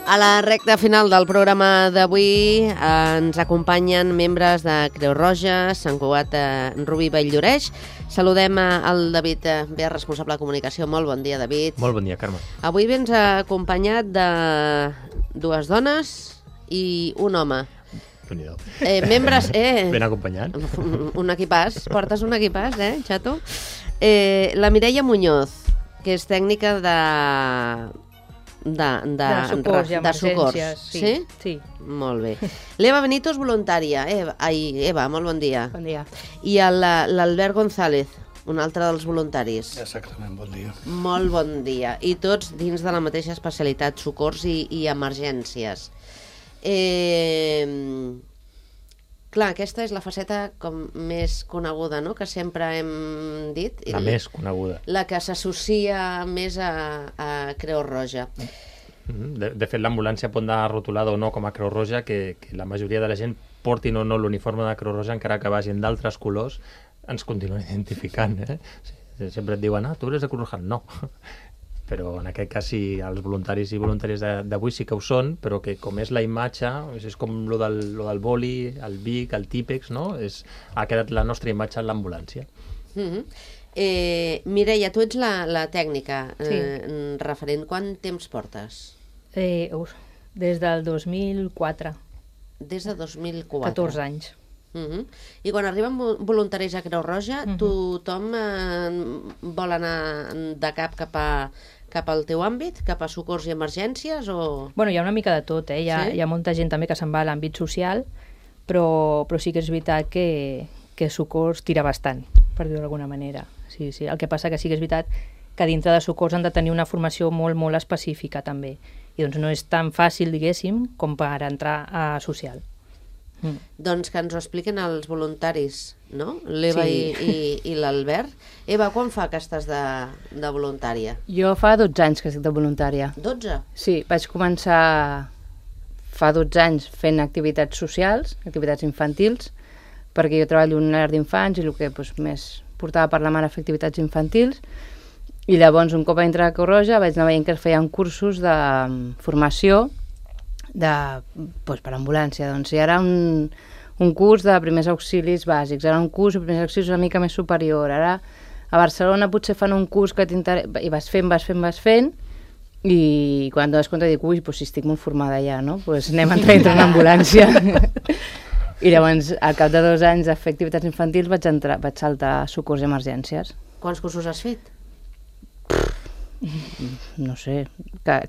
A la recta final del programa d'avui ens acompanyen membres de Creu Roja, Sant Cugat, Rubí Vall-lloreix. Saludem al David Ver, responsable de comunicació. Molt bon dia, David. Molt bon dia, Carme. Avui vens acompanyat de dues dones i un home. Membres... Ben acompanyat. Un equipàs. Portes un equipàs, xato? La Mireia Muñoz, que és tècnica de socors i emergències. Sí? Sí. Molt bé. L'Eva Benito és voluntària. Eva, molt bon dia. Bon dia. I l'Albert González, un altre dels voluntaris. Exactament, bon dia. Molt bon dia. I tots dins de la mateixa especialitat, socors i emergències. Clar, aquesta és la faceta com més coneguda, no?, que sempre hem dit. La més coneguda. La que s'associa més a Creu Roja. De fet, l'ambulància pot anar rotulada o no com a Creu Roja, que la majoria de la gent portin o no l'uniforme de Creu Roja, encara que vagin d'altres colors, ens continuen identificant. Sempre et diuen, tu eres de Creu Roja. No. Però en aquest cas sí, els voluntaris i voluntàries d'avui sí que ho són, però que com és la imatge, és com lo del boli, el Vic, el Típex, no? Ha quedat la nostra imatge en l'ambulància. Mireia, tu ets la tècnica referent. Quant temps portes? Des del 2004. Des de 2004. 14 anys. I quan arriben voluntaris a Creu Roja, tothom vol anar de cap cap al teu àmbit, cap a socors i emergències, o...? Bueno, hi ha una mica de tot, Hi ha molta gent també que se'n va a l'àmbit social, però sí que és veritat que socors tira bastant, per dir-ho d'alguna manera. Sí. El que passa que sí que és veritat que dintre de socors han de tenir una formació molt, molt específica també. I doncs no és tan fàcil, diguéssim, com per entrar a social. Doncs que ens ho expliquen els voluntaris, no? L'Eva i l'Albert. Eva, quan fa que estàs de voluntària? Jo fa 12 anys que estic de voluntària. 12? Sí, vaig començar fa 12 anys fent activitats socials, activitats infantils, perquè jo treballo en una llar d'infants i el que més portava per la mare a fer activitats infantils. I llavors, un cop vaig entrar a Creu Roja, vaig anar veient que es feien cursos de formació per ambulància. Doncs hi era un curs de primers auxilis bàsics, era un curs de primers auxilis una mica més superior. Ara a Barcelona potser fan un curs que t'interessa, i vas fent, i quan et dones compte dic, si estic molt formada ja, no? Doncs anem a entrar en una ambulància. I llavors, al cap de 2 anys de fer activitats infantils, vaig saltar a socors i emergències. Quants cursos has fet? No sé,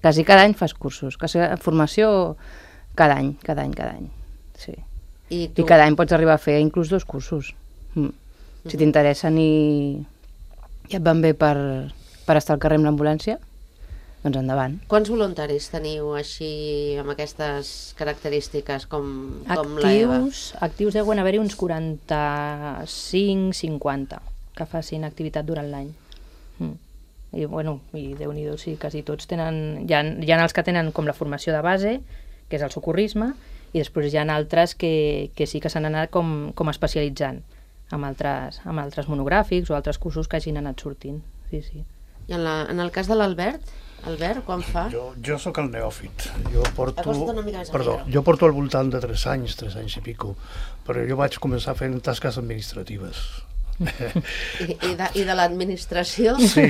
quasi cada any fas cursos, formació cada any, sí. I cada any pots arribar a fer inclús 2 cursos. Si t'interessen i et van bé per estar al carrer amb l'ambulància, doncs endavant. Quants voluntaris teniu així amb aquestes característiques com l'Eva? Actius deuen haver-hi uns 45-50 que facin activitat durant l'any. I Déu-n'hi-do, sí, quasi tots tenen... Hi ha els que tenen com la formació de base, que és el socorrisme, i després hi ha altres que sí que s'han anat com especialitzant amb altres monogràfics o altres cursos que hagin anat sortint. Sí. I en el cas de l'Albert? Albert, quan fa? Jo sóc el neòfit. Jo porto al voltant de 3 anys i pico, però jo vaig començar fent tasques administratives. I de l'administració? Sí.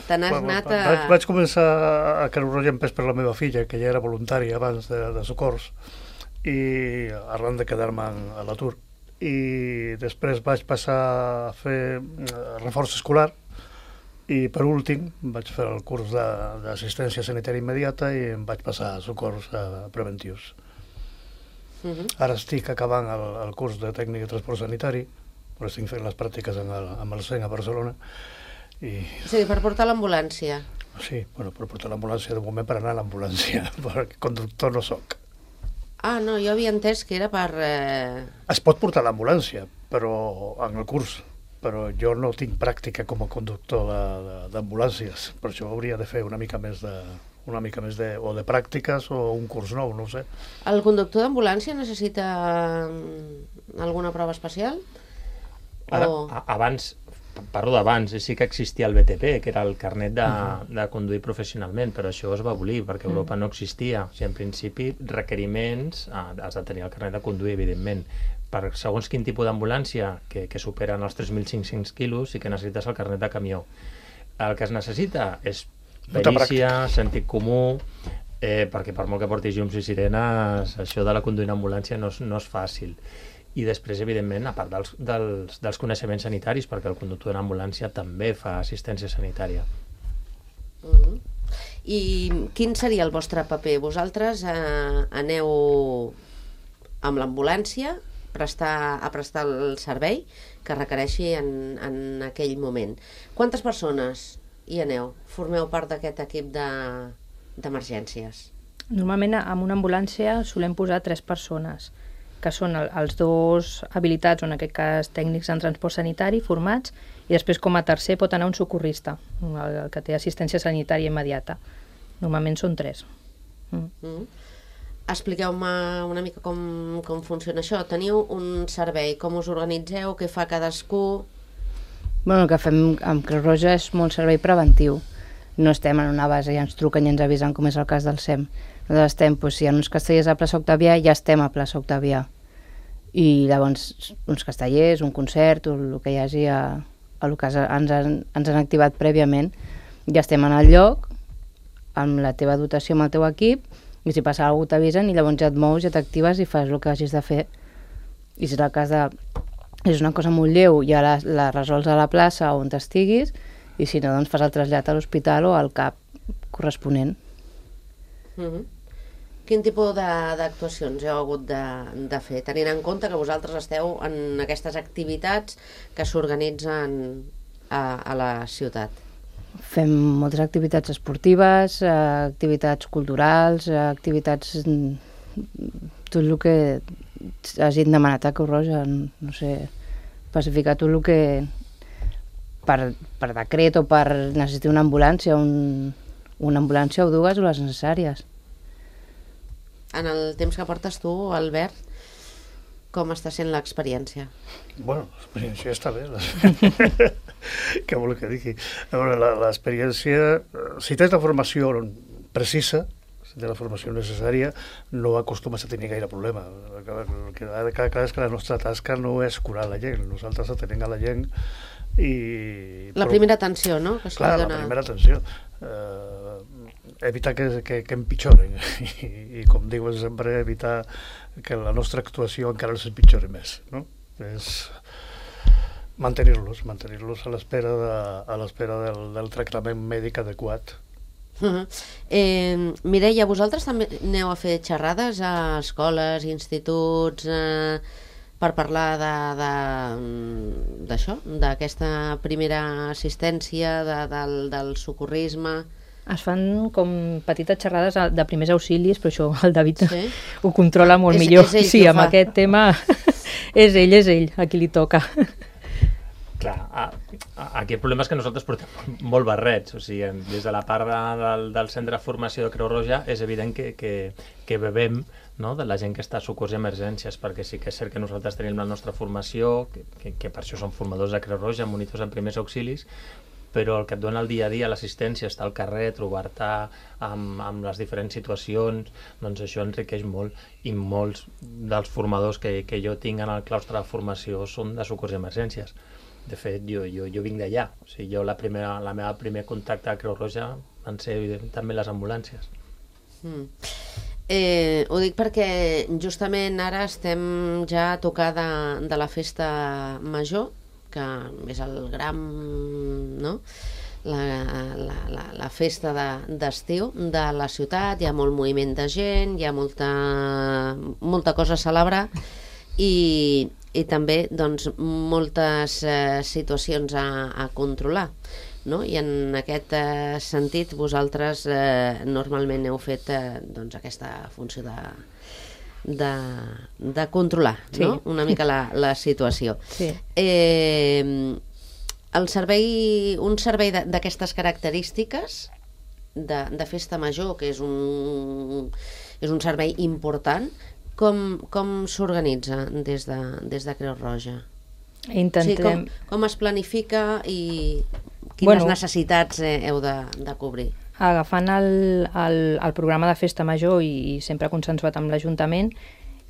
Te n'has anat a... Vaig començar a Creu Roja en pes per la meva filla, que ja era voluntària abans de socors, i arran de quedar-me a l'atur. I després vaig passar a fer reforç escolar, i per últim vaig fer el curs d'assistència sanitària immediata i em vaig passar a socors preventius. Ara estic acabant el curs de tècnic de transport sanitari, però estic fent les pràctiques amb el CEN a Barcelona. Sí, per portar l'ambulància. Sí, per portar l'ambulància, de moment per anar a l'ambulància, perquè conductor no soc. No, jo havia entès que era per... Es pot portar l'ambulància, però en el curs, però jo no tinc pràctica com a conductor d'ambulàncies, per això hauria de fer una mica més de pràctiques o un curs nou, no ho sé. El conductor d'ambulància necessita alguna prova especial? Abans parlo d'abans, sí que existia el BTP, que era el carnet de conduir professionalment, però això es va abolir perquè a Europa no existia. O sigui, en principi, requeriments, has de tenir el carnet de conduir, evidentment. Per segons quin tipus d'ambulància que superen els 3.500 quilos sí que necessites el carnet de camió. El que es necessita és perícia, sentit comú, perquè per molt que portis llums i sirenes, això de la conduir en ambulància no és fàcil. I després, evidentment, a part dels coneixements sanitaris, perquè el conductor d'una ambulància també fa assistència sanitària. I quin seria el vostre paper? Vosaltres aneu amb l'ambulància a prestar el servei que requereixi en aquell moment. Quantes persones hi aneu? Formeu part d'aquest equip d'emergències? Normalment, en una ambulància solem posar 3 persones, que són els 2 habilitats, o en aquest cas tècnics en transport sanitari, formats, i després com a tercer pot anar un socorrista, el que té assistència sanitària immediata. Normalment són 3. Expliqueu-me una mica com funciona això. Teniu un servei, com us organitzeu, què fa cadascú? El que fem amb Creu Roja és molt servei preventiu. No estem en una base i ens truquen i ens avisen, com és el cas del SEM. Nosaltres estem, si hi ha uns castellers a plaça Octavià, ja estem a plaça Octavià. I llavors uns castellers, un concert, o el que hi hagi el que ens han activat prèviament, ja estem en el lloc, amb la teva dotació, amb el teu equip, i si passa alguna cosa t'avisen i llavors ja et mous, ja t'actives i fas el que hagis de fer. I si és el cas és una cosa molt lleu, ja la resols a la plaça on t'estiguis, i si no, doncs fas el trasllat a l'hospital o al CAP corresponent. Quin tipus d'actuacions heu hagut de fer, tenint en compte que vosaltres esteu en aquestes activitats que s'organitzen a la ciutat? Fem moltes activitats esportives, activitats culturals, activitats... tot el que hagin demanat a Creu Roja, no sé, especificar tot el que per decret o per necessitar una ambulància, una ambulància o 2 o les necessàries. En el temps que portes tu, Albert, com està sent l'experiència? Bueno, l'experiència està bé. Què vol que digui? L'experiència, si tens la formació precisa, si tens la formació necessària, no acostumes a tenir gaire problema. El que ha de quedar clar és que la nostra tasca no és curar la gent, nosaltres atenem a la gent i... La primera atenció, no? Clar, la primera atenció. Evitar que empitjoren i com diuen sempre, evitar que la nostra actuació encara els empitjori més, no? És mantenir-los a l'espera del tractament mèdic adequat. Mireia, vosaltres també aneu a fer xerrades a escoles, instituts, per parlar d'això, d'aquesta primera assistència, del socorrisme? Es fan com petites xerrades de primers auxilis, però això el David ho controla molt millor. Sí, amb aquest tema és ell a qui li toca. Clar, aquí el problema és que nosaltres portem molt barrets, o sigui, des de la part del centre de formació de Creu Roja és evident que bevem, no?, de la gent que està a socors i emergències, perquè sí que és cert que nosaltres tenim la nostra formació, que per això som formadors de Creu Roja, monitors en primers auxilis, però el que et dona el dia a dia, l'assistència, estar al carrer, trobar-te amb les diferents situacions, doncs això enriqueix molt, i molts dels formadors que jo tinc en el claustre de formació són de socors i emergències. De fet, jo vinc d'allà, o sigui, la meva primer contacte a Creu Roja van ser també les ambulàncies. Ho dic perquè justament ara estem ja a tocar de la festa major, que és el gran, no?, la festa d'estiu de la ciutat. Hi ha molt moviment de gent, hi ha molta cosa a celebrar i també doncs, moltes situacions a controlar, no? I en aquest sentit vosaltres normalment heu fet doncs, aquesta funció de controlar, no? Una mica la situació. Un servei d'aquestes característiques de festa major, que és un servei important, com s'organitza des de Creu Roja? Intentem... Com es planifica i quines necessitats heu de cobrir? Agafant el programa de festa major i sempre consensuat amb l'Ajuntament,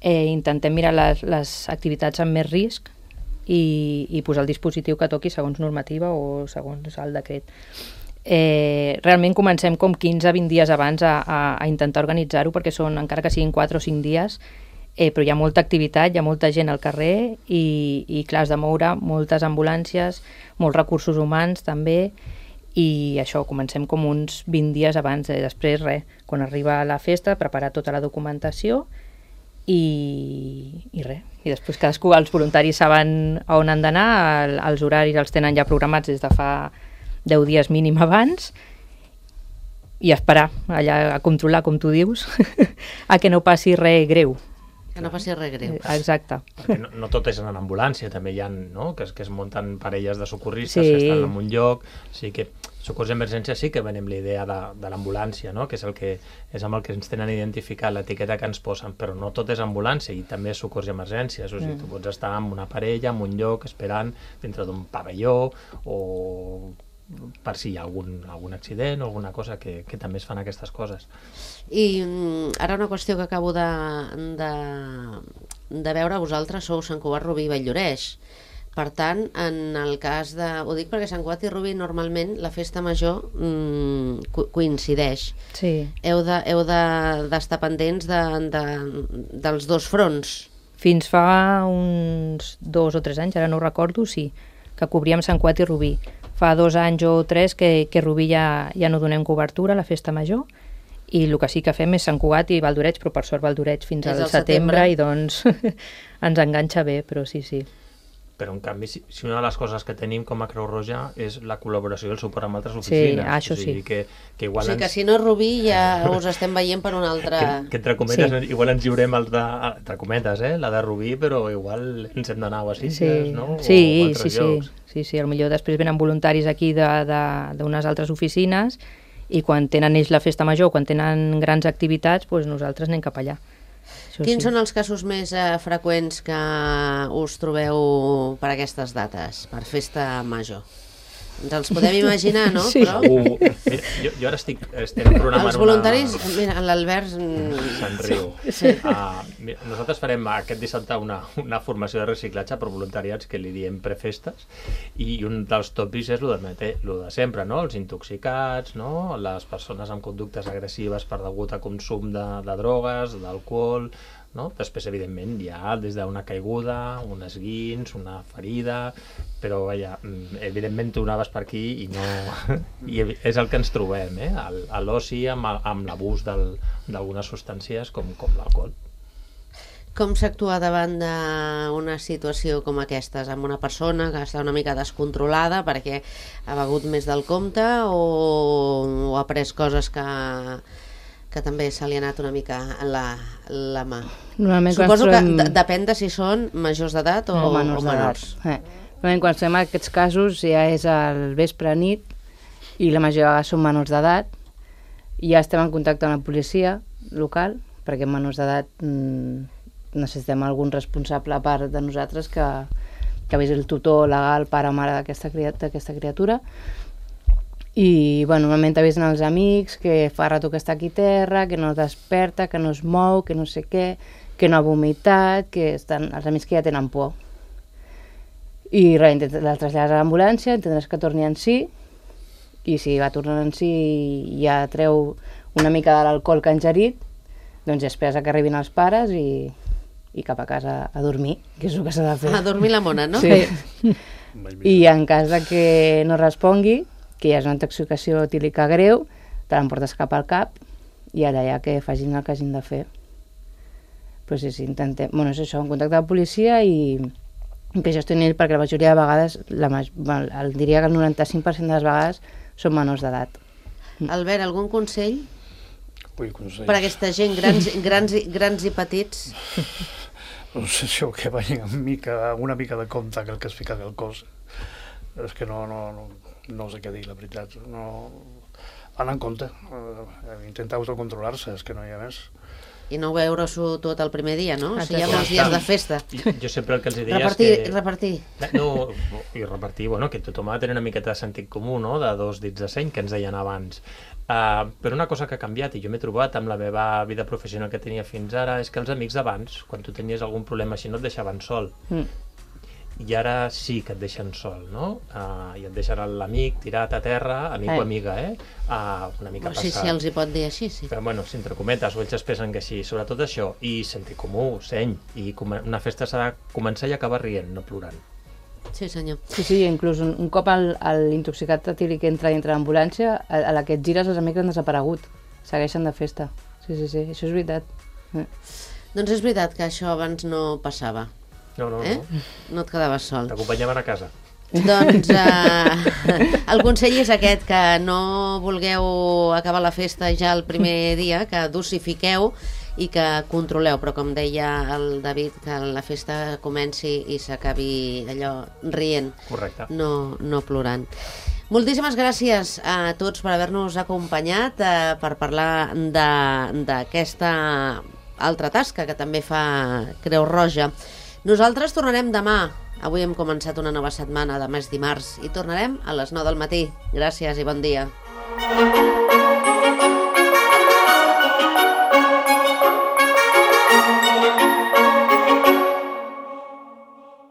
intentem mirar les activitats amb més risc i posar el dispositiu que toqui segons normativa o segons el decret. Realment comencem com 15-20 dies abans a intentar organitzar-ho, perquè són, encara que siguin 4 o 5 dies, però hi ha molta activitat, hi ha molta gent al carrer i clar, has de moure moltes ambulàncies, molts recursos humans també, i això, comencem com uns 20 dies abans. Després, quan arriba la festa, preparar tota la documentació i res. I després cadascú, els voluntaris saben a on han d'anar, els horaris els tenen ja programats des de fa 10 dies mínim abans, i esperar allà a controlar, com tu dius, a que no passi res greu. Que no passi res greu. Exacte. Perquè no tot és en ambulància, també hi ha, no?, que es munten parelles de socorristes que estan en un lloc, o sigui que socors d'emergència sí que venem la idea de l'ambulància, no?, que és amb el que ens tenen identificat, l'etiqueta que ens posen, però no tot és ambulància, i també és socors i emergències, o sigui, tu pots estar amb una parella, en un lloc, esperant dintre d'un pavelló, o per si hi ha algun accident o alguna cosa, que també es fan aquestes coses. I ara una qüestió que acabo de veure, vosaltres sou Sant Cugat, Rubí i Vall-lloreix. Per tant, en el cas de... Ho dic perquè Sant Cugat i Rubí normalment la festa major coincideix. Sí. Heu d'estar pendents dels dos fronts. Fins fa uns 2 o 3 anys, ara no ho recordo, sí, que cobríem Sant Cugat i Rubí. Fa 2 anys o 3 que Rubí ja no donem cobertura a la festa major, i el que sí que fem és Sant Cugat i Valdoreig, però per sort Valdoreig fins al setembre, i doncs ens enganxa bé, però sí. Però en canvi, si una de les coses que tenim com a Creu Roja és la col·laboració i el suport amb altres oficines. Sí, això sí. Que igual o sigui que si no és Rubí ja us estem veient per un altre... Que entre cometes, igual ens lliurem els de... Entre cometes, la de Rubí, però igual ens hem d'anar a Sitges, no? Sí. Potser després venen voluntaris aquí d'unes altres oficines, i quan tenen ells la festa major, quan tenen grans activitats, doncs nosaltres anem cap allà. Quins són els casos més freqüents que us trobeu per aquestes dates, per festa major? Ens els podem imaginar, no? Sí. Però... Mira, jo ara estem programant els voluntaris, mira, l'Albert... Se'n riu. Sí. Nosaltres farem aquest dissabte una formació de reciclatge per voluntariats que li diem prefestes, i un dels tòpics és lo de sempre, no? Els intoxicats, no? Les persones amb conductes agressives per degut a consum de drogues, d'alcohol, no? Després, evidentment, hi ha des d'una caiguda, un esguins, una ferida, però evidentment tu anaves per aquí i no... I és el que ens trobem, a l'oci amb l'abús d'algunes substàncies com l'alcohol. Com s'actua davant d'una situació com aquestes, amb una persona que està una mica descontrolada perquè ha begut més del compte o ha pres coses que també se li ha anat una mica la mà? Suposo que depèn de si són majors d'edat o menors. Quan estem en aquests casos ja és al vespre nit i la majoria de vegades són menors d'edat, i ja estem en contacte amb la policia local, perquè menors d'edat necessitem algun responsable a part de nosaltres que vegi el tutor legal, pare o mare d'aquesta criatura. I normalment avisen els amics que fa rato que està aquí a terra, que no desperta, que no es mou, que no sé què, que no ha vomitat, que estan els amics que ja tenen por. I res, la trasllades a l'ambulància, entendràs que torni en si, i si va tornant en si i ja treu una mica de l'alcohol que ha ingerit, doncs ja esperes que arribin els pares i cap a casa a dormir, que és el que s'ha de fer. A dormir la mona, no? Sí. I en cas de que no respongui, que hi ha una intoxicació etílica greu, te l'emportes cap al CAP i allà ja que facin el que hagin de fer. Però sí, intentem... Bueno, és això, en contacte amb la policia i que gestionin ell, perquè la majoria de vegades, diria que el 95% de les vegades són menors d'edat. Albert, algun consell? Consell. Per a aquesta gent, grans i petits? No sé si que vagin amb una mica de compte que el que es fica al cos. És que no sé què dir, la veritat. Anar en compte, intentar autocontrolar-se, és que no hi ha més. Sí. I no veure-s'ho tot el primer dia, no? O sigui, hi ha Exacte. molts dies de festa. Jo sempre el que els deia Repartir, és que... repartir. No, i repartir, bueno, que tothom ha de tenir una miqueta de sentit comú, no?, de 2 dits de seny, que ens deien abans. Però una cosa que ha canviat, i jo m'he trobat amb la meva vida professional que tenia fins ara, és que els amics d'abans, quan tu tenies algun problema així, no et deixaven sol. I ara sí que et deixen sol, no? I et deixen l'amic tirat a terra, amic o amiga, una mica Sí, passat. sí, els hi pot dir així, sí. Però, bueno, si entre cometes, o ells es pensen que sí, sobretot això, i sentit comú, seny, i una festa s'ha de començar i acabar rient, no plorant. Sí, senyor. Sí, inclús un cop l'intoxicat etílic entra dintre l'ambulància, a la que et gires els amics han desaparegut. Segueixen de festa. Sí, això és veritat. Doncs és veritat que això abans no passava. No. No et quedaves sol. T'acompanyaven a casa. Doncs el consell és aquest, que no vulgueu acabar la festa ja el primer dia, que dosifiqueu i que controleu, però com deia el David, que la festa comenci i s'acabi allò rient, Correcte. no plorant. Moltíssimes gràcies a tots per haver-nos acompanyat, per parlar d'aquesta altra tasca que també fa Creu Roja. Nosaltres tornarem demà. Avui hem començat una nova setmana, demà és dimarts, i tornarem a les 9 del matí. Gràcies i bon dia.